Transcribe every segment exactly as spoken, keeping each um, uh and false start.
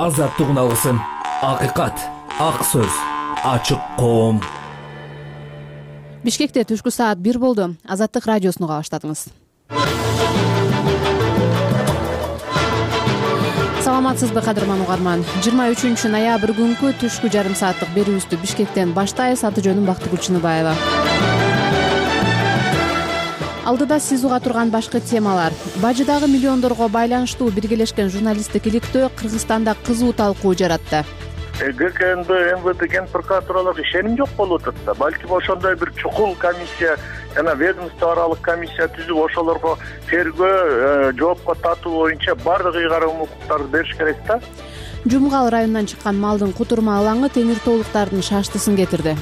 азаттыгын алсын. Акыйкат, ак сөз, ачык коом. Бишкекте түшкү саат бир болду. Азаттык радиосуну уга баштадыңыз. Саламатсызбы кадырман угарман. жыйырма үчүнчү ноябрь күнкү түшкү жарым сааттык берүүбүздү Бишкектен баштайбыз. Аты жөнүм Бактыгүл Чыныбаева. Алдыда сиз уга турган башкы темалар. Бажыдагы миллиондорго байланыштуу биргелешкен журналисттик иликтөө Кыргызстанда кызуу талкуу жаратты. ГКНБ, МВД, Генпрокурор тууралуу ишеним жок болуп атат да. Балким ошондой бир чукул комиссия жана ведомство аралык комиссия түзүп ошолорго тергөө, жоопко тартуу боюнча баардык ыйгарым укуктарды бериш керек да. Жумгал районунан чыккан малдын кутурма алаңы темир тоолуктардын шаштысын кетирди.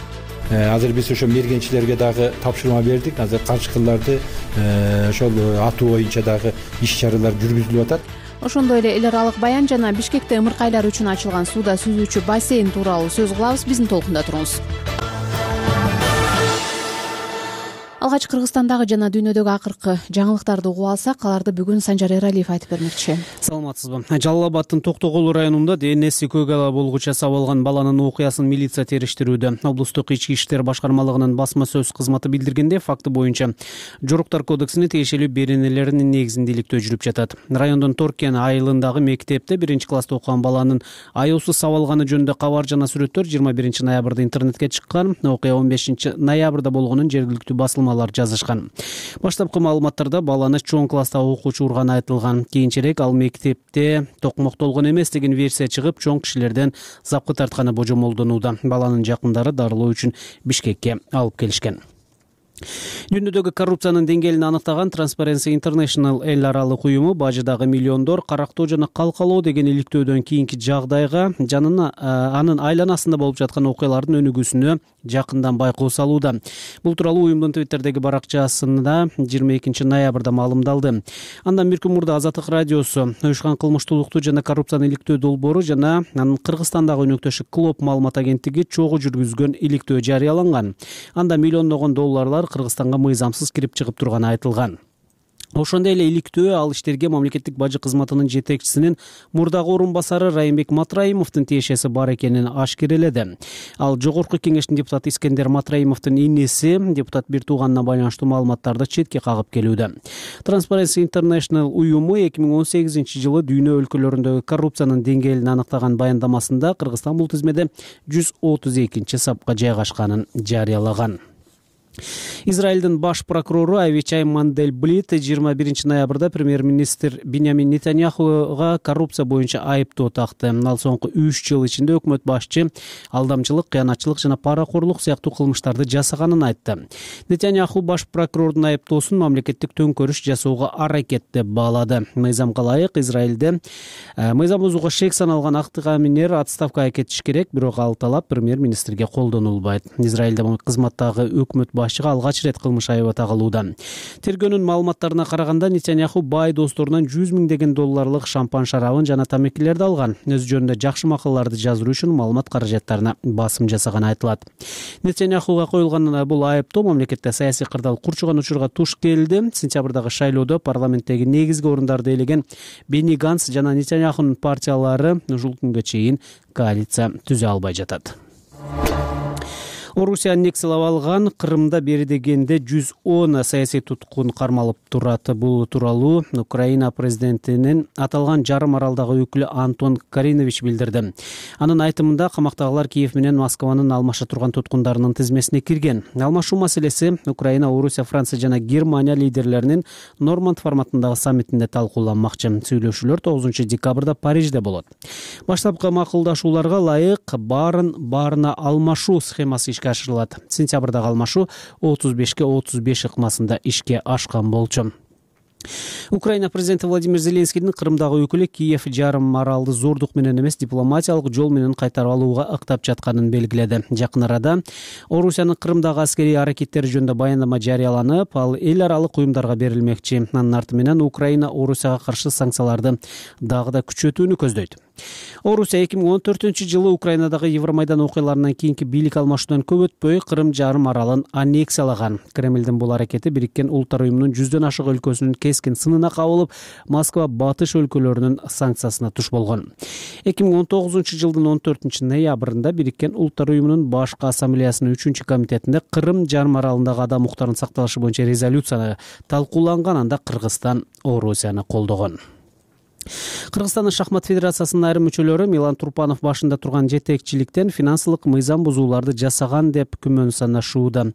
Азыр биз ошо мергенчилерге дагы тапшырма бердик. Азыр каршыкыларды ошол атуу боюнча дагы иш чаралар жүргүзүлүп атат. Ошондой эле эл аралык баян жана Бишкекте ымыркайлар үчүн ачылган сууда сүзүүчү бассейн тууралуу сөз кылабыз. Биздин толкунда туруңуз. Алгач Кыргызстандагы жана дүйнөдөгү акыркы жаңылыктарды угуп алсак, аларды бүгүн Санжар Эралиев айтып бермекчи. Саламатсызбы. Жалал Абадтын Токтогул районунда денеси көк ала болгуча сабалган баланын окуясын милиция териштирүүдө. Облустук ички иштер башкармалыгынын басма сөз кызматы билдиргенде, факты боюнча жоруктар кодексине тиешелүү беренелеринин негизинде иликтөө жүрүп жатат. Райондун Торкен айылындагы мектепте биринчи класста окуган баланын аюусуз сабалганы жөнүндө кабар жана сүрөттөр жыйырма биринчи ноябрда интернетке чыккан. Окуя он бешинчи ноябрда болгонун жергиликтүү басылмалар жазышкан. Баштапкы маалыматтарда баланы чоң класстагы окуучу урганы айтылган. Кийинчерээк ал мектепте токмоктолгон эмес деген версия чыгып, чоң кишилерден запкы тартканы божомолдонууда. Баланын жакындары дарылоо үчүн Бишкекке алып келишкен. Дүйнөдөгү коррупциянын деңгээлин аныктаган Transparency International эл аралык уюму бажыдагы миллиондор карактоо жана калкалоо деген иликтөөдөн кийинки жагдайга жанына анын айланасында болуп жаткан окуялардын өнүгүүсүнө жакындан байкоо салууда. Бул тууралуу уюмдун Твиттердеги баракчасында жыйырма экинчи ноябрда маалымдалды. Андан бир күн мурда Азаттык радиосу уюшкан кылмыштуулукту жана коррупцияны иликтөө долбоору жана анын Кыргызстандагы өнөктөшү Клоп маалымат агенттиги чогуу жүргүзгөн иликтөө жарыяланган. Анда миллиондогон долларлар Кыргызстанга мыйзамсыз кирип чыгып турганы айтылган. Ошондой эле иликтөө ал иштерге мамлекеттик бажы кызматынын жетекчисинин мурдагы орун басары Райымбек Матраимовдун тиешеси бар экенин ашкереледи. Ал жогорку кеңештин депутаты Искендер Матраимовдун инеси депутат бир тууганына байланыштуу маалыматтарды четке кагып келүүдө. Transparency International уюму эки миң он сегизинчи жылы дүйнө өлкөлөрүндөгү коррупциянын деңгээлин аныктаган баяндамасында Кыргызстан бул тизмеде жүз отуз экинчи сапка жайгашканын жарыялаган. Израилдин баш прокурору Авичай Мандельблит жыйырма биринчи ноябрда премьер-министр Биньямин Нетаньяхуга коррупция боюнча айыптоо такты. Ал соңку үч жыл ичинде өкмөт башчы алдамчылык, кыянатчылык жана паракорлук сыяктуу кылмыштарды жасаганын айтты. Нетаньяху баш прокурордун айыптоосун мамлекеттик төңкөрүш жасоого аракет деп баалады. Мыйзамга ылайык Израилде мыйзам бузууга шек саналган актыгаминер отставкага кетиш керек, бирок ал талап премьер-министрге колдонулбайт. Израилде кызматтагы өкмөт башчыга алгач рет кылмыш айыбы тагылууда. Тергөөнүн маалыматтарына караганда Нетаньяху бай досторунан жүз миңдеген долларлык шампан шарабын жана тамекилерди алган. Өз жөнүндө жакшы макалаларды жазуу үчүн маалымат каражаттарына басым жасаганы айтылат. Нетаньяхуга коюлган бул айыптоо мамлекетте саясий кырдаал курчуган учурга туш келди. Сентябрдагы шайлоодо парламенттеги негизги орундарды ээлеген Бени Ганс жана Нетаньяхунун партиялары ушул күнгө чейин коалиция түзө албай жатат. Орусия аннексиялап алган Крымда бери дегенде жүз он саясий туткун кармалып турат. Бул тууралуу Украина президентинин аталган жарым аралдагы өкүлү Антон Каринович билдирди. Анын айтымында камактагылар Киев менен Москванын алмаша турган туткундарынын тизмесине кирген. Алмашуу маселеси Украина, Орусия, Франция жана Германия лидерлеринин Норманд форматындагы саммитинде талкууланмакчы. Сүйлөшүүлөр тогузунчу декабрда Парижде болот. Баштапкы макулдашууларга ылайык баарын баарына алмашуу схемасы ишке ашырылат. Сентябрдагы алмашуу отуз бешке отуз беш ыкмасында ишке ашкан болчу. Украина президенти Владимир Зеленскийдин Крымдагы өкүлү Киев жарым аралды зордук менен эмес дипломатиялык жол менен кайтарып алууга ыктап жатканын белгиледи. Жакын арада Орусиянын Крымдагы аскерий аракеттери жөнүндө баяндама жарыяланып, ал эл аралык уюмдарга берилмекчи. Анын арты менен Украина Орусияга каршы санкцияларды дагы да күчөтүүнү көздөйт. Орусия эки миң он төртүнчү жылы Украинадагы Евромайдан окуяларынан кийинки бийлик алмашуудан көп өтпөй Крым жарым аралын аннексиялаган. Кремлдин бул аракети Бириккен Улуттар уюмунун жүздөн ашык өлкөсүнүн кескен сынын тынына кабылып, Москва батыш өлкөлөрүнүн санкциясына туш болгон. эки миң он тогузунчу жылдын он төртүнчү ноябрында Бириккен Улуттар уюмунун башкы ассамблеясынын үчүнчү комитетинде Кырым жарым аралындагы адам укуктарын сакталышы боюнча резолюция талкууланган. Анда Кыргызстан Орусияны колдогон. Кыргызстандын шахмат федерациясынын айрым мүчөлөрү Милан Турпанов башында турган жетекчиликтен финансылык мыйзам бузууларды жасаган деп күмөн санашууда.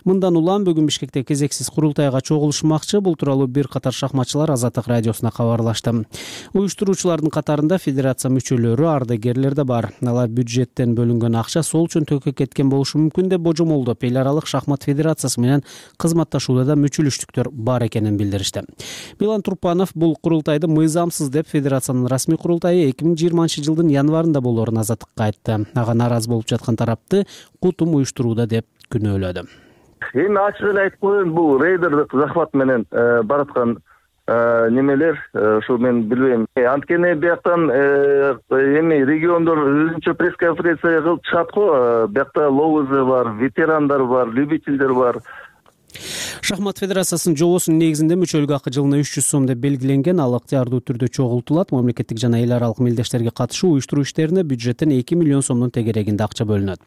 Мындан улам бүгүн Бишкекте кезексиз курултайга чогулушмакчы. Бул тууралуу бир катар шахматчылар Азаттык радиосуна кабарлашты. Уюштуруучулардын катарында федерация мүчөлөрү, ардагерлер да бар. Алар бюджеттен бөлүнгөн акча сол чөнтөккө кеткен болушу мүмкүн деп божомолдоп, эл аралык шахмат федерациясы менен кызматташууда да мүчөлүштүктөр бар экенин билдиришти. Милан Турпанов бул курултайды мыйзамсыз деп федерациянын расмий курултайы эки миң жыйырманчы жылдын январында болоорун Азаттыкка айтты. Ага нааразы болуп жаткан тарапты кутум уюштурууда деп күнөөлөдү. Эми ачык эле айтып коеюн, бул рейдердик захват менен бараткан немелер, ушу мен билбейм. Анткени бияктан эми региондор өзүнчө пресс-конференция кылып чыгат го. Биякта лоузы бар, ветерандар бар, любительдер бар. Шахмат федерациясынын жобосунун негизинде мүчөлүк акы жылына үч жүз сом деп белгиленген. Ал ыктыярдуу түрдө чогултулат. Мамлекеттик жана эл аралык мелдештерге катышуу уюштуруу иштерине бюджеттен эки миллион сомдун тегерегинде акча бөлүнөт.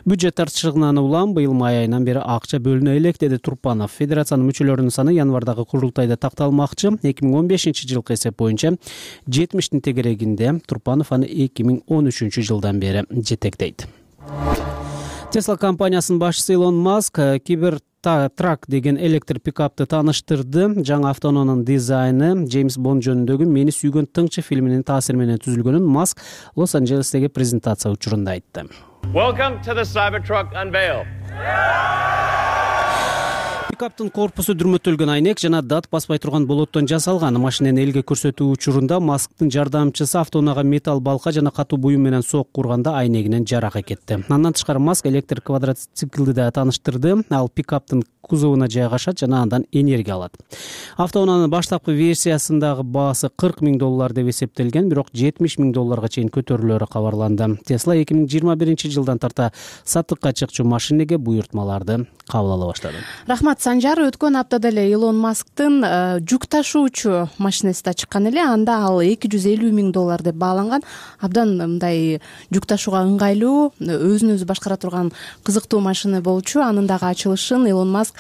Бюджет артышыгынан улам быйыл май айынан бери акча бөлүнө элек, деди Турпанов. Федерациянын мүчөлөрүнүн саны январдагы курултайда такталмакчы. эки миң он бешинчи жылкы эсеп боюнча жетимиштин тегерегинде. Турпанов аны эки миң он үчүнчү жылдан бери жетектейт. Tesla компаниясынын башчысы Илон Маск Кибер Трак деген электр пикапты тааныштырды. Жаңы автоунаанын дизайны Джеймс Бонд жөнүндөгү Мени сүйгөн тыңчы фильминин таасири менен түзүлгөнүн Маск Лос-Анджелестеги презентация учурунда айтты. Welcome to the Cybertruck unveil. Пикаптын корпусу дүрмөтөлгөн айнек жана дат баспай турган болоттон жасалган. Машинени элге көрсөтүү учурунда Масктын жардамчысы автоунаага металл балка жана катуу буюм менен сок курганда айнегинен жарак кетти. Андан тышкары Маск электр квадроциклди да тааныштырды. Ал пикаптын кузовуна жайгашат жана андан энергия алат. Автоунаанын баштапкы версиясындагы баасы кырк миң доллар деп эсептелген, бирок жетимиш миң долларга чейин көтөрүлөөрү кабарланды. Tesla эки миң жыйырма биринчи жылдан тарта сатыкка чыкчу машинеге буйртмаларды кабыл ала баштады. Рахмат Санжар. Өткөн аптада эле Илон Масктын жүк ташуучу машинеси да чыккан эле. Анда ал эки жүз элүү миң доллар деп бааланган. Абдан мындай жүк ташууга ыңгайлуу, өзүн өзү башкара турган кызыктуу машина болчу. Анын дагы ачылышын Илон Маск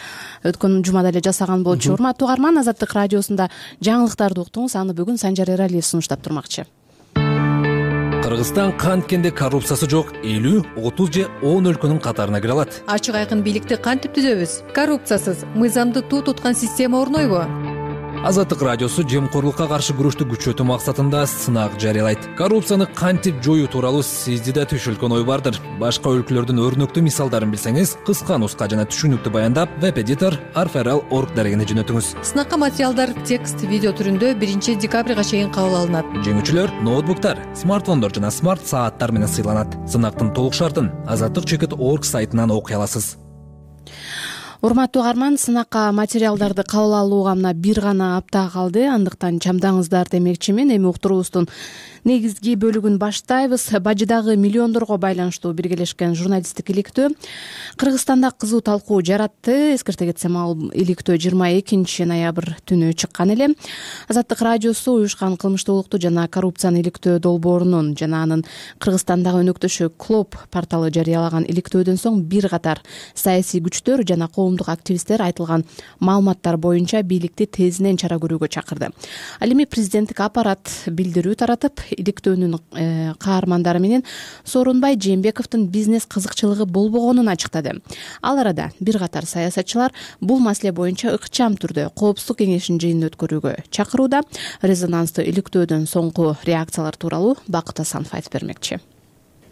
өткөн жумада эле жасаган болчу. Урматтуу угарман, Азаттык радиосунда жаңылыктарды уктуңуз. Аны бүгүн Санжар Эралиев сунуштап турмакчы. Кыргызстан канткенде коррупциясы жок элүү, отуз же он өлкөнүн катарына кире алат. Ачык айкын бийликти кантип түзөбүз? Коррупциясыз, мыйзамды туу туткан система орнойбу? Азаттык радиосу жемкорлукка каршы күрөштү күчөтүү максатында сынак жарыялайт. Коррупцияны кантип жоюу тууралуу сизди да түшүлгөн ой бардыр. Башка өлкөлөрдүн өрнөктүү мисалдарын билсеңиз, кыска нуска жана түшүнүктүү баяндап веб-эдитор арферал точка орг дарегине жөнөтүңүз. Сынакка материалдар текст, видео түрүндө биринчи декабрга чейин кабыл алынат. Жеңүүчүлөр ноутбуктар, смартфондор жана смарт сааттар менен сыйланат. Сынактын толук шартын азаттык чекит точка орг сайтынан окуй аласыз. Урматтуу угарман, сынакка материалдарды кабыл алууга мына бир гана апта калды. Андыктан чамдаңыздар демекчимин. Эми уктуруубуздун негизги бөлүгүн баштайбыз. Бажыдагы миллиондорго байланыштуу биргелешкен журналисттик иликтөө Кыргызстанда кызуу талкуу жаратты. Эскерте кетсем, ал иликтөө жыйырма экинчи ноябрь түнү чыккан эле. Азаттык радиосу уюшкан кылмыштуулукту жана коррупцияны иликтөө долбоорунун жана анын Кыргызстандагы өнөктөшү Клоп порталы жарыялаган иликтөөдөн соң бир катар саясий күчтөр жана коомдук активисттер айтылган маалыматтар боюнча бийликти тезинен чара көрүүгө чакырды. Ал эми президенттик аппарат билдирүү таратып, иликтөөнүн каармандары менен Сооронбай Жээнбековдун бизнес кызыкчылыгы болбогонун ачыктады. Ал арада бир катар саясатчылар бул маселе боюнча ыкчам түрдө коопсуздук кеңешинин жыйынын өткөрүүгө чакырууда. Резонанстуу иликтөөдөн соңку реакциялар тууралуу Бакыт Асанов айтып бермекчи.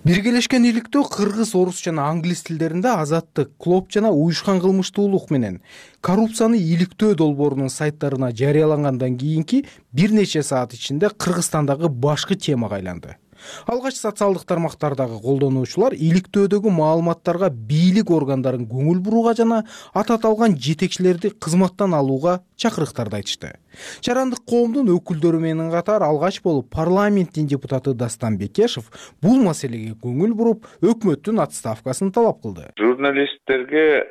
Биргелешкен иликтөө кыргыз, орус жана англис тилдеринде Азаттык, Клоп жана уюшкан кылмыштуулук менен коррупцияны иликтөө долбоорунун сайттарына жарыялангандан кийинки бир нече саат ичинде Кыргызстандагы башкы темага айланды. Алгач социалдык тармактардагы колдонуучулар иликтөөдөгү маалыматтарга бийлик органдарын көңүл бурууга жана аты аталган жетекчилерди кызматтан алууга чакырыктарды айтышты. Жарандык коомдун өкүлдөрү менен катар алгач болуп парламенттин депутаты Дастан Бекешев бул маселеге көңүл буруп, өкмөттүн отставкасын талап кылды. Журналисттерге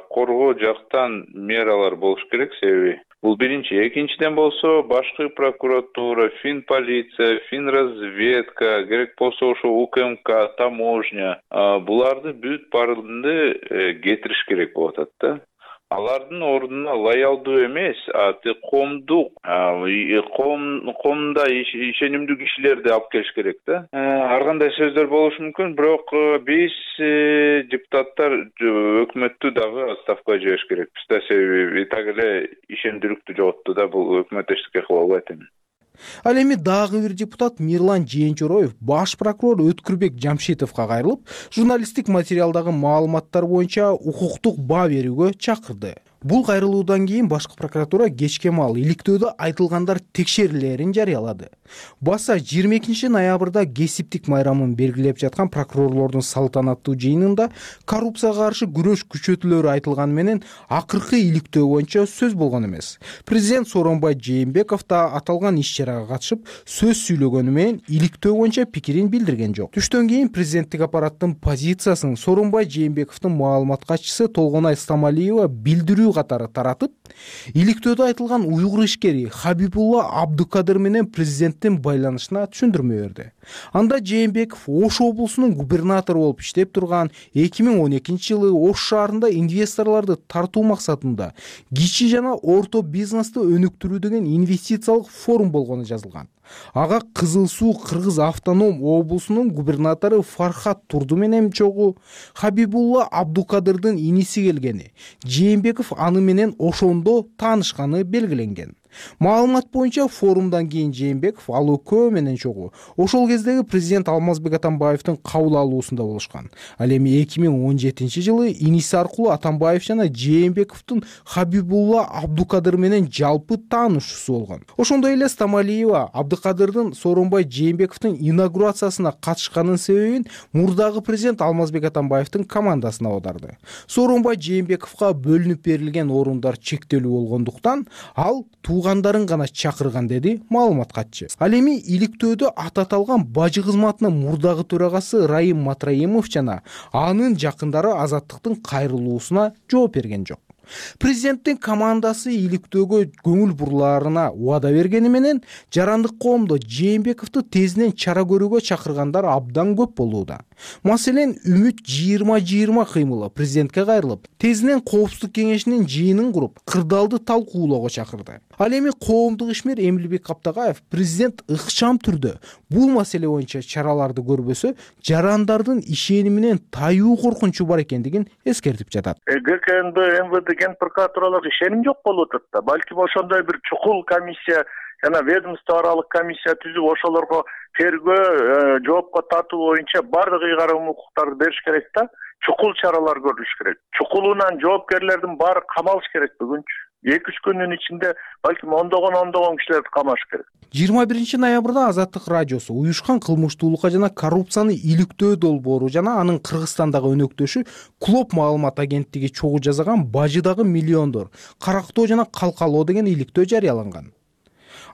коргоо жактан мералар болуш керек, себеби Бул биринчи. Экинчиден болсо башкы прокуратура, фин полиция, фин разведка, керек болсо ошо У К М К, таможня буларды бүт баардыгын кетириш керек болуп атат да. Алардын ордуна лоялдуу эмес, коомдук, коомдо ишенимдүү кишилерди алып келиш керек да. Ар кандай сөздөр болушу мүмкүн, бирок биз депутаттар өкмөттү дагы отставкага жибериш керекпиз да, себеби так эле ишендүүлүктү жоготту да, бул өкмөт эчтеке кыла албайт эми. Ал эми дагы бир депутат Мирлан Жээнчороев баш прокурор Өткүрбек Жамшитовго кайрылып, журналисттик материалдагы маалыматтар боюнча укуктук баа берүүгө чакырды. Бул кайрылуудан кийин башкы прокуратура кечке маал иликтөөдө айтылгандар текшерилерин жарыялады. Баса жыйырма экинчи ноябрда кесиптик майрамын белгилеп жаткан прокурорлордун салтанаттуу жыйынында коррупцияга каршы күрөш күчөтүлөрү айтылганы менен акыркы иликтөө боюнча сөз болгон эмес. Президент Сооронбай Жээнбеков да аталган иш-чарага катышып сөз сүйлөгөнү менен иликтөө боюнча пикирин билдирген жок. Түштөн кийин президенттик аппараттын позициясын Сооронбай Жээнбековдун маалымат катчысы Толгонай Стамалиева билдирүү катары таратып, иликтөөдө айтылган уйгур ишкери Хабибулла Абдукадыр менен президенттин байланышына түшүндүрмө берди. Анда Жээнбеков Ош облусунун губернатору болуп иштеп турган эки миң он экинчи жылы Ош шаарында инвесторлорду тартуу максатында кичи жана орто бизнести өнүктүрүү деген инвестициялык форум болгону жазылган. Ага Кызыл Суу Кыргыз автоном облусунун губернатору Фархат Турду менен чогуу Хабибулла Абдукадырдын иниси келгени, Жээнбеков аны менен ошондо таанышканы белгиленген. Маалымат боюнча форумдан кийин Жээнбеков ал экөө менен чогуу ошол кездеги президент Алмазбек Атамбаевдин кабыл алуусунда болушкан. Ал эми эки миң он жетинчи жылы иниси аркылуу Атамбаев жана Жээнбековдун Хабибулла Абдукадыр менен жалпы таанышуусу болгон. Ошондой эле Стамалиева Абдукадырдын Сооронбай Жээнбековдун инаугурациясына катышканын себебин мурдагы президент Алмазбек Атамбаевдин командасына аударды. Сооронбай Жээнбековго бөлүнүп берилген орундар чектелүү болгондуктан ал туугандарын гана чакырган, деди маалымат катчы. Ал эми иликтөөдө ат аталган бажы кызматынын мурдагы төрагасы Раим Матраимов жана анын жакындары Азаттыктын кайрылуусуна жооп берген жок. Президенттин командасы иликтөөгө көңүл бурлаарына убада бергени менен жарандык коомдо Жээнбековду тезинен чара көрүүгө чакыргандар абдан көп болууда. Маселен, Үмүт жыйырма жыйырма кыймылы президентке кайрылып, тезинен коопсуздук кеңешинин жыйынын куруп, кырдаалды талкуулоого чакырды. Ал эми коомдук ишмер Эмилбек Каптагаев президент ыкчам түрдө бул маселе боюнча чараларды көрбөсө, жарандардын ишениминен таюу коркунучу бар экендигин эскертип жатат. Г К Н Б, М В Д ген прокуратуралык ишеним жок болуп атат да. Балким ошондой бир чукул комиссия жана ведомство аралык комиссия түзүп ошолорго тергөө, жоопко тартуу боюнча бардык ыйгарым укуктарды бериш керек да. Чукул чаралар көрүлүш керек. Чукулунан жоопкерлердин баары камалыш керек бүгүнчү. эки үч күндүн ичинде балким ондогон ондогон кишилерди камаш керек. жыйырма биринчи ноябрда Азаттык радиосу уюшкан кылмыштуулукка жана коррупцияны иликтөө долбоору жана анын Кыргызстандагы өнөктөшү Клоп маалымат агенттиги чогуу жасаган бажыдагы миллиондор, карактоо жана калкалоо деген иликтөө жарыяланган.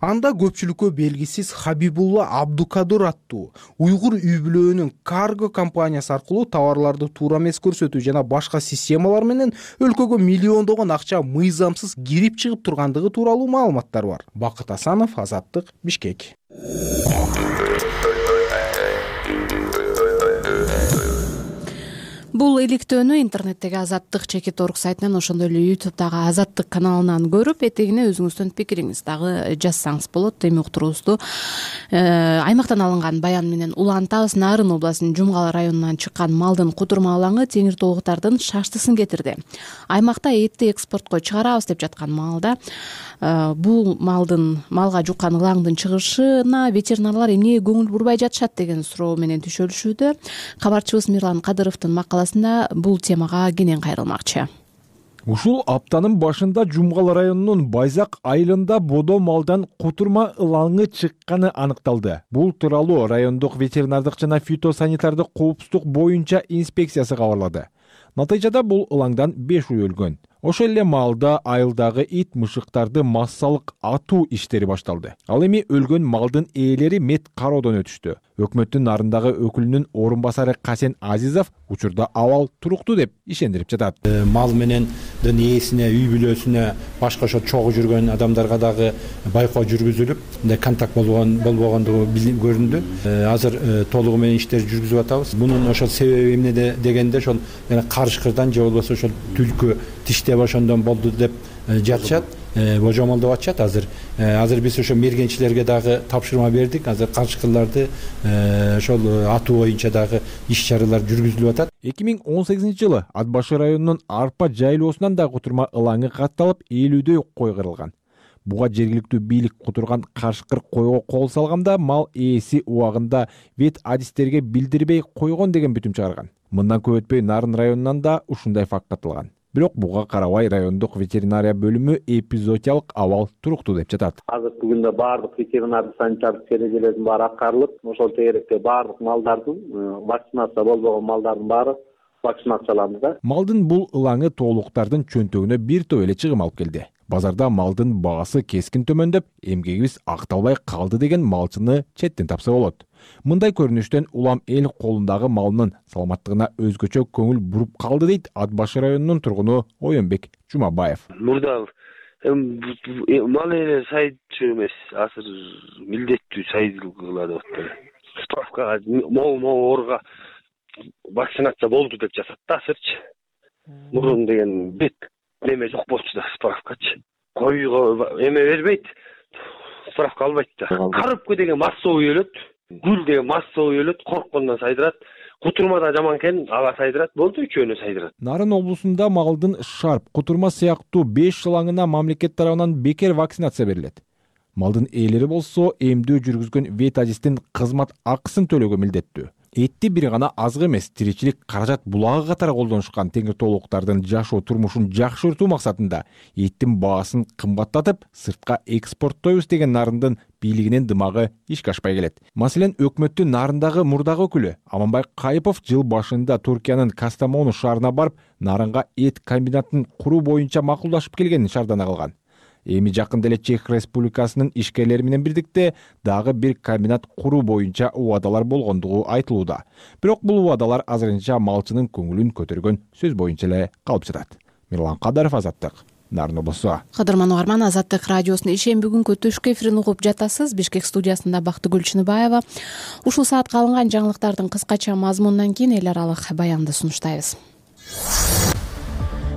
Анда көпчүлүккө белгисиз Хабибулла Абдукадыр аттуу уйгур үй бүлөөнүн карго компаниясы аркылуу товарларды туура эмес көрсөтүү жана башка системалар менен өлкөгө миллиондогон акча мыйзамсыз кирип чыгып тургандыгы тууралуу маалыматтар бар. Бакыт Асанов, Азаттык, Бишкек. Бул иликтөөнү интернеттеги Азаттык чекит орг сайтынан, ошондой эле ютубтагы Азаттык каналынан көрүп, этегине өзүңүздүн пикириңизди дагы жазсаңыз болот. Эми уктуруубузду аймактан алынган баян менен улантабыз. Нарын областынын Жумгала районунан чыккан малдын кутурма алаңы теңир тоолуктардын шаштысын кетирди. Аймакта этти экспортко чыгарабыз деп жаткан маалда бул малдын малга жуккан ылаңдын чыгышына ветеринарлар эмне көңүл бурбай жатышат деген суроо менен түшөлүшүүдө. Кабарчыбыз Мирлан Кадыровдун макаласында бул темага кенен кайрылмакчы. Ушул аптанын башында Жумгала районунун Байзак айылында бодо малдан кутурма ылаңы чыкканы аныкталды. Бул тууралуу райондук ветеринардык жана фитосанитардык коопсуздук боюнча инспекциясы кабарлады. Натыйжада бул ылаңдан беш уй өлгөн. Ошол эле маалда айылдагы ит мышыктарды массалык атуу иштери башталды. Ал эми өлгөн малдын ээлери мет кароодон өтүштү. Өкмөттүн нарындагы өкүлүнүн орун басары Касен Азизов учурда абал туруктуу деп ишендирип жатат. Мал менен ээсине, үй бүлөсүнө, башка ошо чогуу жүргөн адамдарга дагы байкоо жүргүзүлүп, мындай контакт болгон болбогондугу көрүндү. Азыр толугу менен иштер жүргүзүп атабыз. Мунун ошол себеби эмне дегенде ошол карышкырдан же болбосо ошол түлкү тиштеп ошондон болду деп жатышат. Божомол деп атышат. Азыр азыр биз ошо мергенчилерге дагы тапшырма бердик. Азыр карышкырларды ошол атуу боюнча дагы иш чаралар жүргүзүлүп атат. эки миң он сегизинчи жылы Ат башы районунун Арпа жайлоосунан да кутурма ылаңы катталып, элүүдөй кой кырылган. Буга жергиликтүү бийлик кутурган карышкыр койго кол салганда мал ээси убагында вет адистерге билдирбей койгон деген бүтүм чыгарган. Мындан көп өтпөй Нарын районунан да ушундай факт катталган. Бирок буга карабай райондук ветеринария бөлүмү эпизоотиялык абал туруктуу деп жатат. Азыркы күндө баардык ветеринардык санитардык эрежелердин баары аткарылып, ошол тегеректе баардык малдардын, вакцинация болбогон малдардын баары вакцинацияланды да. Малдын бул ылаңы тоолуктардын чөнтөгүнө бир топ эле чыгым алып келди. Базарда малдын баасы кескин төмөндөп, эмгегибиз акталбай калды деген малчыны четтен тапса болот. Мындай көрүнүштөн улам эл колундагы малынын саламаттыгына өзгөчө көңүл буруп калды дейт Ат башы районунун тургуну Оюнбек Жумабаев. Мурда мал эле сайдчу эмес, азыр милдеттүү сайдылгыла деп атты. Справкага могу ооруга вакцинация болду деп жатат да азырчы. Мурун деген бет неме жок болчу да справкачы. Койго эме бербейт, справка албайт да. Карыпкы деген массовый өлөт, гүл деген массовый өлөт, корккондон сайдырат. Кутурма да жаман экен, ага сайдырат, болду үчөөнө сайдырат. Нарын облусунда малдын шарп, кутурма сыяктуу беш ылаңына мамлекет тарабынан бекер вакцинация берилет. Малдын ээлери болсо эмдөө жүргүзгөн вет адистин кызмат акысын төлөөгө милдеттүү. Этти бир гана азгы эмес, тиричилик каражат булагы катары колдонушкан теңир тоолуктардын жашоо турмушун жакшыртуу максатында эттин баасын кымбаттатып, сыртка экспорттойбуз деген Нарындын бийлигинин дымагы ишке ашпай келет. Маселен, өкмөттүн Нарындагы мурдагы өкүлү Аманбай Кайыпов жыл башында Туркиянын Кастамону шаарына барып, Нарынга эт комбинатын куруу боюнча макулдашып келгенин шаардана кылган. Эми жакында эле Чех Республикасынын ишкерлери менен бирдикте дагы бир комбинат куруу боюнча убадалар болгондугу айтылууда. Бирок бул убадалар азырынча малчынын көңүлүн көтөргөн сөз боюнча эле калып жатат. Мирлан Кадаров, Азаттык, Нарын облусу. Кадырман угарман, Азаттык радиосунун ишен бүгүнкү түшкү эфирин угуп жатасыз. Бишкек студиясында Бактыгүл Чыныбаева. Ушул саатка алынган жаңылыктардын кыскача мазмунунан кийин эл аралык баянды сунуштайбыз.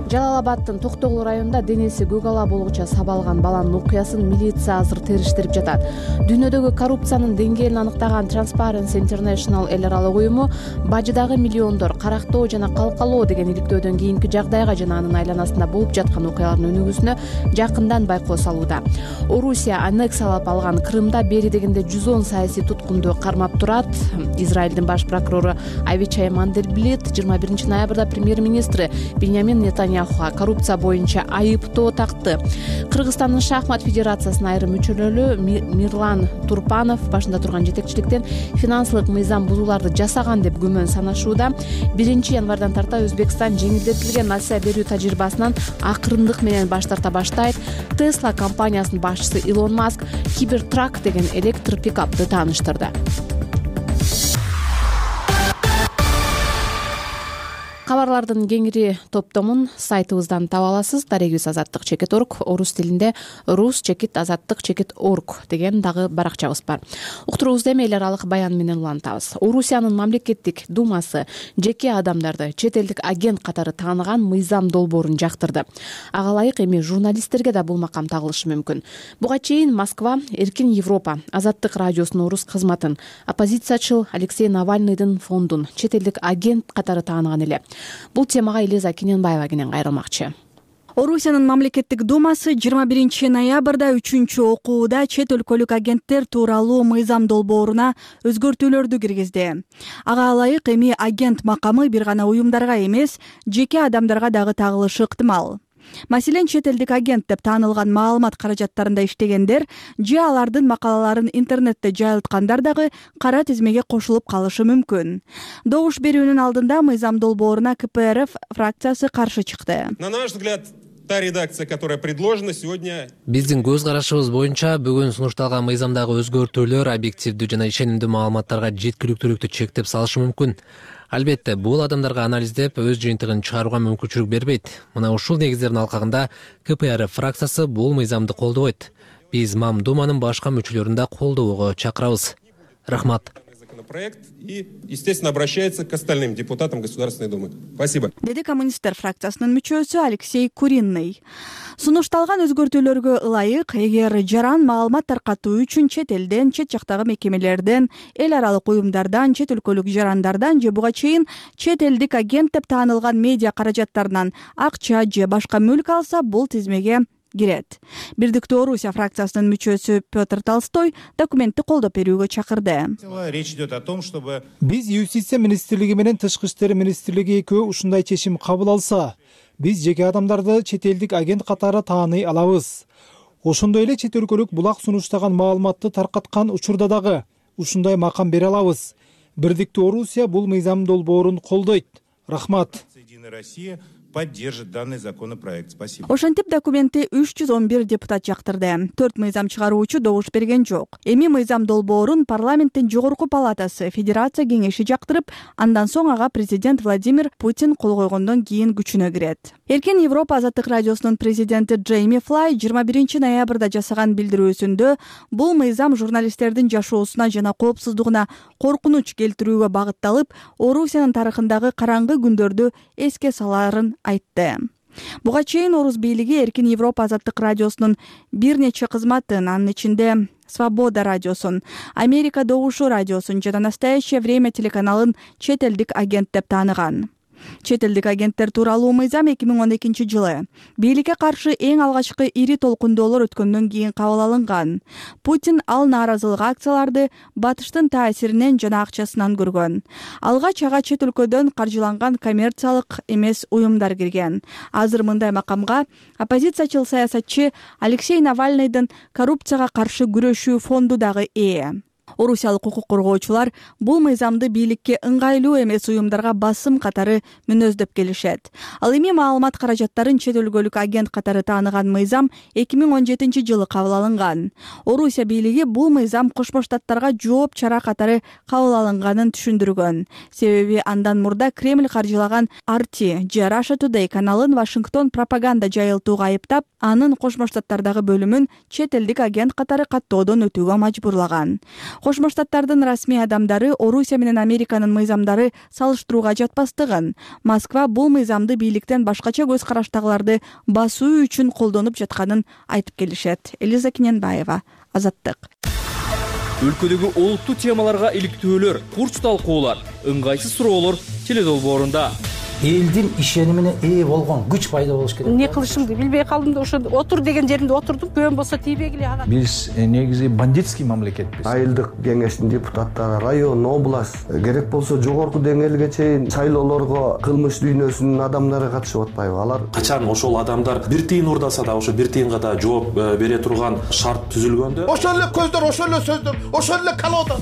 Жалал Абадтын Токтогул районунда денеси көк ала болгуча сабалган баланын окуясын милиция азыр териштирип жатат. Дүйнөдөгү коррупциянын деңгээлин аныктаган Transparency International эл аралык уюму бажыдагы миллиондор карактоо жана калкалоо деген иликтөөдөн кийинки жагдайга жана анын айланасында болуп жаткан окуялардын өнүгүүсүнө жакындан байкоо салууда. Орусия аннексиялап алган Крымда бери дегенде жүз он саясий туткунду кармап турат. Израилдин баш прокурору Авичай Мандельблит жыйырма биринчи ноябрда премьер-министри Беньямин Нетаньяху коррупция боюнча айыптоо такты. Кыргызстандын шахмат федерациясынын айрым мүчөлөрү Мирлан Турпанов башында турган жетекчиликтен финансылык мыйзам бузууларды жасаган деп күмөн санашууда. биринчи январдан тарта Өзбекстан жеңилдетилген нация берүү тажрыйбасынан акырындык менен баш тарта баштайт. Tesla компаниясынын башчысы Илон Маск Cybertruck деген электр пикапты тааныштырды. Кабарлардын кеңири топтомун сайтыбыздан таба аласыз. Дарегибиз азаттык чекит орг, орус тилинде рус чекит азаттык чекит орг деген дагы баракчабыз бар. Уктуруубузду эми эл аралык баян менен улантабыз. Орусиянын мамлекеттик думасы жеке адамдарды чет элдик агент катары тааныган мыйзам долбоорун жактырды. Ага ылайык эми журналисттерге да бул макам тагылышы мүмкүн. Буга чейин Москва Эркин Европа Азаттык радиосунун орус кызматын, оппозициячыл Алексей Навальныйдын фондун чет элдик агент катары тааныган эле. Бул темага Элиза Кененбаева кенен кайрылмакчы. Орусиянын мамлекеттик думасы жыйырма биринчи ноябрда үчүнчү окууда чет өлкөлүк агенттер тууралуу мыйзам долбооруна өзгөртүүлөрдү киргизди. Ага ылайык эми агент макамы бир гана уюмдарга эмес, жеке адамдарга дагы тагылышы ыктымал. Маселен, чет элдик агент деп таанылган маалымат каражаттарында иштегендер же алардын макалаларын интернетте жайылткандар дагы кара тизмеге кошулуп калышы мүмкүн. Добуш берүүнүн алдында мыйзам долбооруна ка пэ эр эф фракциясы каршы чыкты. На наш взгляд, та редакция, которая предложена сегодня. Биздин көз карашыбыз боюнча бүгүн сунушталган мыйзамдагы өзгөртүүлөр объективдүү жана ишенимдүү маалыматтарга жеткиликтүүлүктү чектеп салышы мүмкүн. Албетте, бул адамдарга анализдеп өз жыйынтыгын чыгарууга мүмкүнчүлүк бербейт. Мына ушул негиздердин алкагында ка пэ эр фракциясы бул мыйзамды колдобойт. Биз Мам Думанын башка мүчөлөрүн да колдоого чакырабыз. Рахмат. Проект и, естественно, обращается к остальным депутатам Государственной Думы. Спасибо. Деди коммунисттер фракциясынын мүчөсү Алексей Куринный. Сунушталган өзгөртүүлөргө ылайык, эгер жаран маалымат таркатуу үчүн чет элден, чет жактагы мекемелерден, эл аралык уюмдардан, чет өлкөлүк жарандардан же буга чейин чет элдик агент деп таанылган медиа каражаттарынан акча же башка мүлк алса, бул тизмеге кирет. Бирдиктүү Орусия фракциясынын мүчөсү Петр Толстой документти колдоп берүүгө чакырды. Речь идет о том, чтобы биз Юстиция министрлиги менен Тышкы иштер министрлиги экөө ушундай чечим кабыл алса, биз жеке адамдарды чет элдик агент катары тааный алабыз. Ошондой эле чет өлкөлүк булак сунуштаган маалыматты таркаткан учурда дагы ушундай макам бере алабыз. Бирдиктүү Орусия бул мыйзам долбоорун колдойт. Рахмат. Россия поддержит данный законопроект. Спасибо. Ошентип документти үч жүз он бир депутат жактырды. төрт мыйзам чыгаруучу добуш берген жок. Эми мыйзам долбоорун парламенттин жогорку палатасы Федерация кеңеши жактырып, андан соң ага президент Владимир Путин кол койгондон кийин күчүнө кирет. Эркин Европа азаттык радиосунун президенти Джейми Флай жыйырма биринчи ноябрда жасаган билдирүүсүндө бул мыйзам журналисттердин жашоосуна жана коопсуздугуна коркунуч келтирүүгө багытталып, Орусиянын тарыхындагы караңгы күндөрдү эске саларын айтты. Буга чейин Орус бийлиги Эркин Европа азаттык радиосунун бир нече кызматын, анын ичинде Свобода радиосун, Америка Добушу радиосун жана Настоящее время телеканалын чет элдик агент деп тааныган. Чет элдик агенттер тууралуу мыйзам эки миң он экинчи жылы бийликке каршы эң алгачкы ири толкундоолор өткөндөн кийин кабыл алынган. Путин ал нааразылык акцияларды батыштын таасиринен жана акчасынан көргөн. Алгач ага чет өлкөдөн каржыланган коммерциялык эмес уюмдар кирген. Азыр мындай макамга оппозициячыл саясатчы Алексей Навальныйдын коррупцияга каршы күрөшүү фонду дагы ээ. Орусиялык укук коргоочулар бул мыйзамды бийликке ыңгайлуу эмес уюмдарга басым катары мүнөздөп келишет. Ал эми маалымат каражаттарын чет өлкөлүк агент катары тааныган мыйзам эки миң он жетинчи жылы кабыл алынган. Орусия бийлиги бул мыйзам Кошмо Штаттарга жооп чара катары кабыл алынганын түшүндүргөн. Себеби андан мурда Кремль каржылаган ар ти же Russia Today каналын Вашингтон пропаганда жайылтууга айыптап, анын Кошмо Штаттардагы бөлүмүн чет элдик агент катары каттоодон өтүүгө мажбурлаган. Кошмо Штаттардын расмий адамдары Орусия менен Американын мыйзамдары салыштырууга жатпастыгын, Москва бул мыйзамды бийликтен башкача көз караштагыларды басуу үчүн колдонуп жатканын айтып келишет. Элиза Кененбаева, Азаттык. Өлкөдөгү олуттуу темаларга иликтөөлөр, курч талкуулар, ыңгайсыз суроолор теледолбоорунда. Элдин ишенимине ээ болгон күч пайда болуш керек. Эмне кылышымды билбей калдым да, ошо отур деген жеримде отурдум. Көөн болсо тийбегиле ага. Биз негизи бандитский мамлекетпиз. Айылдык кеңештин депутаттары, район, область, керек болсо жогорку деңгээлге чейин шайлоолорго кылмыш дүйнөсүнүн адамдары катышып атпайбы? Алар качан ошол адамдар бир тыйын урдаса да ошо бир тыйынга да жооп бере турган шарт түзүлгөндө, ошол эле көздөр, ошол эле сөздөр, ошол эле колодо.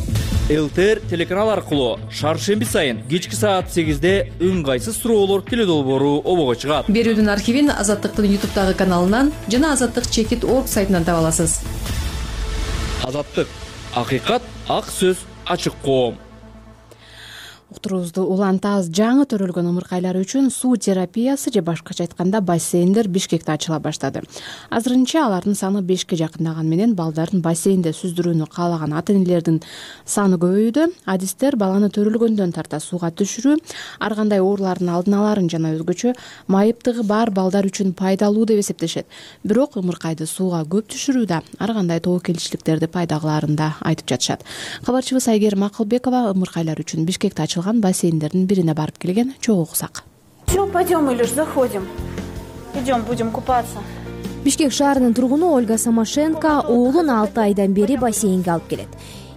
ЛТР телеканал аркылуу шаршемби сайын кечки саат сегизде ыңгайсыз суроолор теледолбоору обого чыгат. Берүүдүн архивин Азаттыктын ютубтагы каналынан жана Азаттык чекит орг сайтынан таба аласыз. Азаттык, акыйкат, ак сөз, ачык коом. Уктуруубузду улантабыз. Жаңы төрөлгөн ымыркайлар үчүн суу терапиясы же башкача айтканда бассейндер Бишкекте ачыла баштады. Азырынча алардын саны бешке жакындаган менен балдарын бассейнде сүздүрүүнү каалаган ата-энелердин саны көбөйдү. Адистер баланы төрөлгөндөн тарта сууга түшүрүү ар кандай оорулардын алдын аларын жана өзгөчө майыптыгы бар балдар үчүн пайдалуу деп эсептешет. Бирок ымыркайды сууга көп түшүрүү да ар кандай тобокелчиликтерди пайда кылаарын да айтып жатышат. Кабарчыбыз Айгерим Акылбекова ымыркайлар үчүн Бишкекте ачылган бассейндердин бирине барып келген. Чогуу уксак. Все, пойдем, Илюш, заходим. Идем, будем купаться. Бишкек шаарынын тургуну Ольга Самашенко уулун алты айдан бери бассейнге алып келет.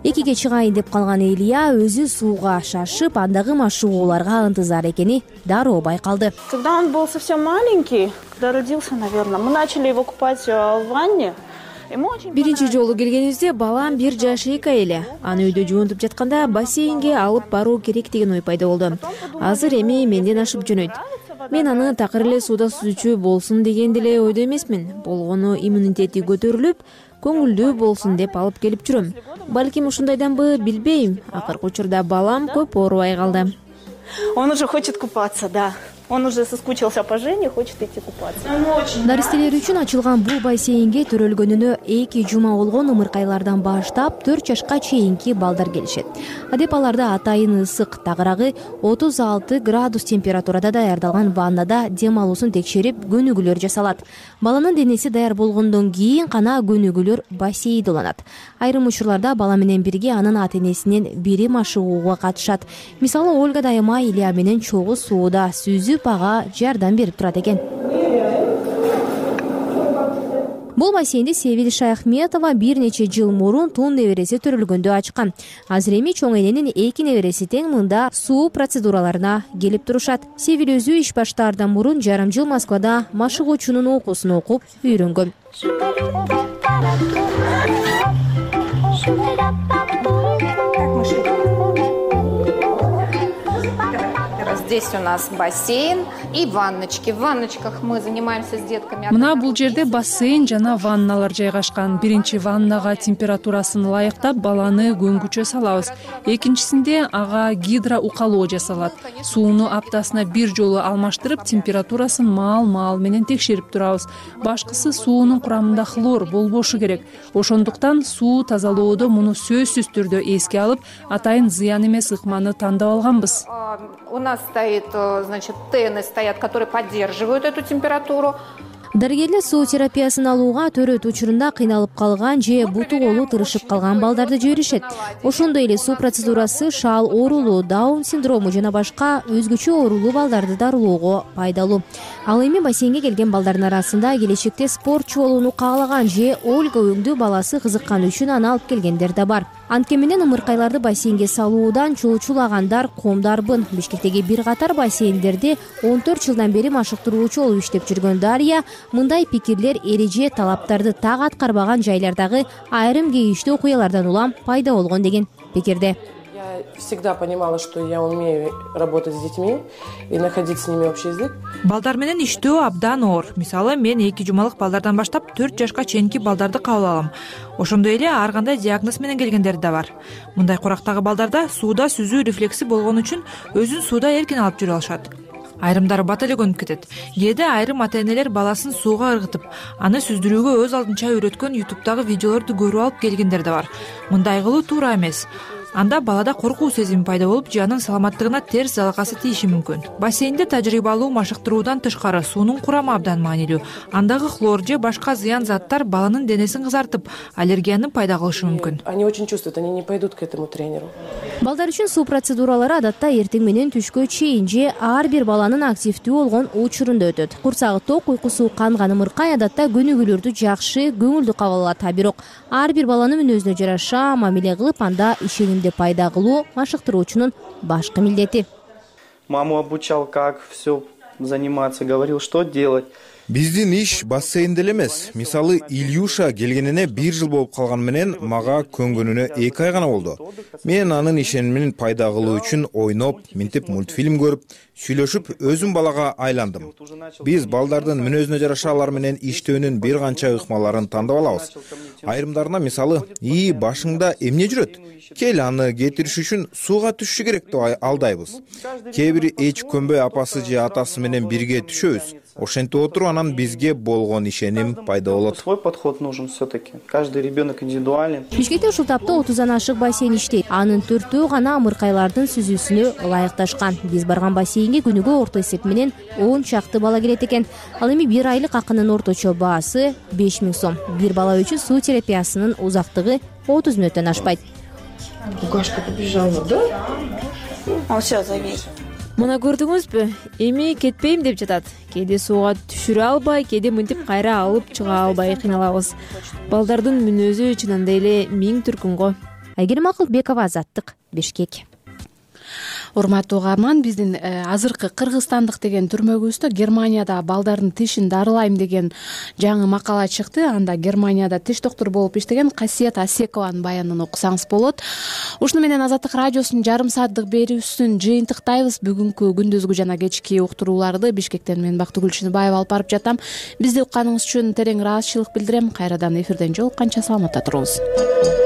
Экиге чыгайын деп калган Илья өзү сууга шашып, андагы машыгууларга ынтызар экени дароо байкалды. Когда он был совсем маленький, когда родился, наверное, мы начали его купать в ванне. Биринчи жолу келгенибизде балам бир жаш эки эле. Аны үйдө жуунтуп жатканда бассейнге алып баруу керек деген ой пайда болду. Азыр эми менден ашып жөнөйт. мен аны такыр эле сууда сүзүүчү болсун деген деле ойдо эмесмин. Болгону иммунитети көтөрүлүп, көңүлдүү болсун деп алып келип жүрөм. Балким ушундайданбы, билбейм. Акыркы учурда балам көп оорубай калды. Он уже хочет купаться, да. Он уже соскучился по Жене, хочет идти купаться. Даристелер үчүн ачылган бул бассейнге төрөлгөнүнө эки жума болгон ымыркайлардан баштап төрт жашка чейинки балдар келишет. Адеп аларда атайын ысык, тагыраагы отуз алты градус температурада даярдалган ваннада дем алуусун текшерип, көнүгүүлөр жасалат. Баланын денеси даяр болгондон кийин гана көнүгүүлөр бассейнде уланат. Айрым учурларда бала менен бирге анын ата-энесинен бири машыгууга катышат. Мисалы, Ольга дайыма Илья менен чогуу сууда сүзүп ага жардам берип турат экен. Бул бассейнди Севил Шаяхметова бир нече жыл мурун тун небереси төрөлгөндө ачкан. Азыр эми чоң эненин эки небереси тең мында суу процедураларына келип турушат. Севил өзү иш баштаардан мурун жарым жыл Москвада машыгуучунун окуусун окуп үйрөнгөн. Здесь у нас бассейн и ванночки. В ванночках мы занимаемся с детками. Мына бул жерде бассейн жана ванналар жайгашкан. Биринчи ваннага температурасын ылайыктап баланы көңгүчө салабыз. Экинчисинде ага гидроукалоо жасалат. Сууну аптасына бир жолу алмаштырып, температурасын маал-маал менен текшерип турабыз. Башкысы суунун курамында хлор болбошу керек. Ошондуктан суу тазалоодо муну сөзсүз түрдө эске алып, атайын зыян эмес ыкманы тандап алганбыз. У нас стоит, значит, тены стоят, которые поддерживают эту температуру. Дарыгерлер суу терапиясын алууга төрөт учурунда кыйналып калган же буту колу тырышып калган балдарды жиберишет. Ошондой эле суу процедурасы шаал оорулуу, Даун синдрому жана башка өзгөчө оорулуу балдарды дарылоого пайдалуу. Ал эми бассейнге келген балдардын арасында келечекте спортчу болууну каалаган же Ольга өңдүү баласы кызыкканы үчүн аны алып келгендер да бар. Анткени менен ымыркайларды бассейнге салуудан чоочулагандар комдарбын. Бишкектеги бир катар бассейндерде он төрт жылдан бери машыктыруучу болуп иштеп жүргөн Дарья мындай пикирлер эреже талаптарды так аткарбаган жайлардагы айрым кейиштүү окуялардан улам пайда болгон деген пикирде. Я всегда понимала, что я умею работать с детьми и находить с ними общий язык. Балдар менен иштөө абдан оор. Мисалы, мен эки жумалык балдардан баштап төрт жашка чейинки балдарды кабыл алам. Ошондой эле ар кандай диагноз менен келгендер да бар. Мындай курактагы балдарда сууда сүзүү рефлекси болгон үчүн өзүн сууда эркин алып жүрө алышат. Айрымдары бат эле көнүп кетет. Кээде айрым ата-энелер баласын сууга ыргытып, аны сүздүрүүгө өз алдынча үйрөткөн ютубтагы видеолорду көрүп алып келгендер да бар. Мындай кылуу туура эмес. Анда балада коркуу сезими пайда болуп, жанын саламаттыгына терс залакасы тийиши мүмкүн. Бассейнде тажрыйбалуу машыктыруудан тышкары суунун курамы абдан маанилүү. Андагы хлор же башка зыян заттар баланын денесин кызартып, аллергияны пайда кылышы мүмкүн. Они очень чувствуют, они не пойдут к этому тренеру. Балдар үчүн суу процедуралары адатта эртең менен түшкө чейин же ар бир баланын активдүү болгон учурунда өтөт. Курсагы ток, уйкусу канган ымыркай адатта көнүгүүлөрдү жакшы, көңүлдүү кабыл алат. Бирок ар бир баланын мүнөзүнө жараша мамиле кылып, анда ишенимди пайда кылуу машыктыруучунун башкы милдети. Маму обучал, как все заниматься, говорил, что делать. Биздин иш бассейнде эле эмес. Мисалы, Ильюша келгенине бир жыл болуп калган менен мага көнгөнүнө эки ай гана болду. Мен анын ишенимин пайда кылуу үчүн ойноп, минтип мультфильм көрүп, сүйлөшүп өзүм балага айландым. Биз балдардын мүнөзүнө жараша алар менен иштөөнүн бир канча ыкмаларын тандап алабыз. Айрымдарына мисалы, "И, башыңда эмне жүрөт? Кел аны кетириш үчүн сууга түшүшү керек" деп алдайбыз. Кээ бири эч көнбөй апасы же атасы менен бирге түшөбүз. Ошентип отуруп анан бизге болгон ишеним пайда болот. Свой подход нужен все-таки. Каждый ребенок индивидуален. Бишкекте ушул тапта отуздан ашык бассейн иштейт. Анын төртөө гана ымыркайлардын сүзүүсүнө ылайыкташкан. Биз барган бассейнге күнүгө орто эсеп менен он чакты бала келет экен. Ал эми бир айлык акынын орточо баасы беш миң сом. Бир бала үчүн суу терапиясынын узактыгы отуз мүнөттөн ашпайт. Гашка побежала, да? Он все завис. Мына көрдүңүзбү? Эми кетпейм деп жатат. Кээде сууга түшүрө албай, кээде мынтип кайра алып чыга албай кыйналабыз. Балдардын мүнөзү чынында эле миң түркүн го. Айгерим Акылбекова, Азаттык, Бишкек. урматтуу угарман, биздин азыркы кыргызстандык деген түрмөгүбүздө Германияда балдардын тишин дарылайм деген жаңы макала чыкты. Анда Германияда тиш доктуру болуп иштеген Касиет Асекованын баянын окусаңыз болот. Ушуну менен Азаттык радиосунун жарым сааттык берүүсүн жыйынтыктайбыз. Бүгүнкү күндүзгү жана кечки уктурууларды Бишкектен мен Бактыгүл Чыныбаева алып барып жатам. Бизди укканыңыз үчүн терең ыраазычылык билдирем. Кайрадан эфирден жолукканча саламатта туруңуз.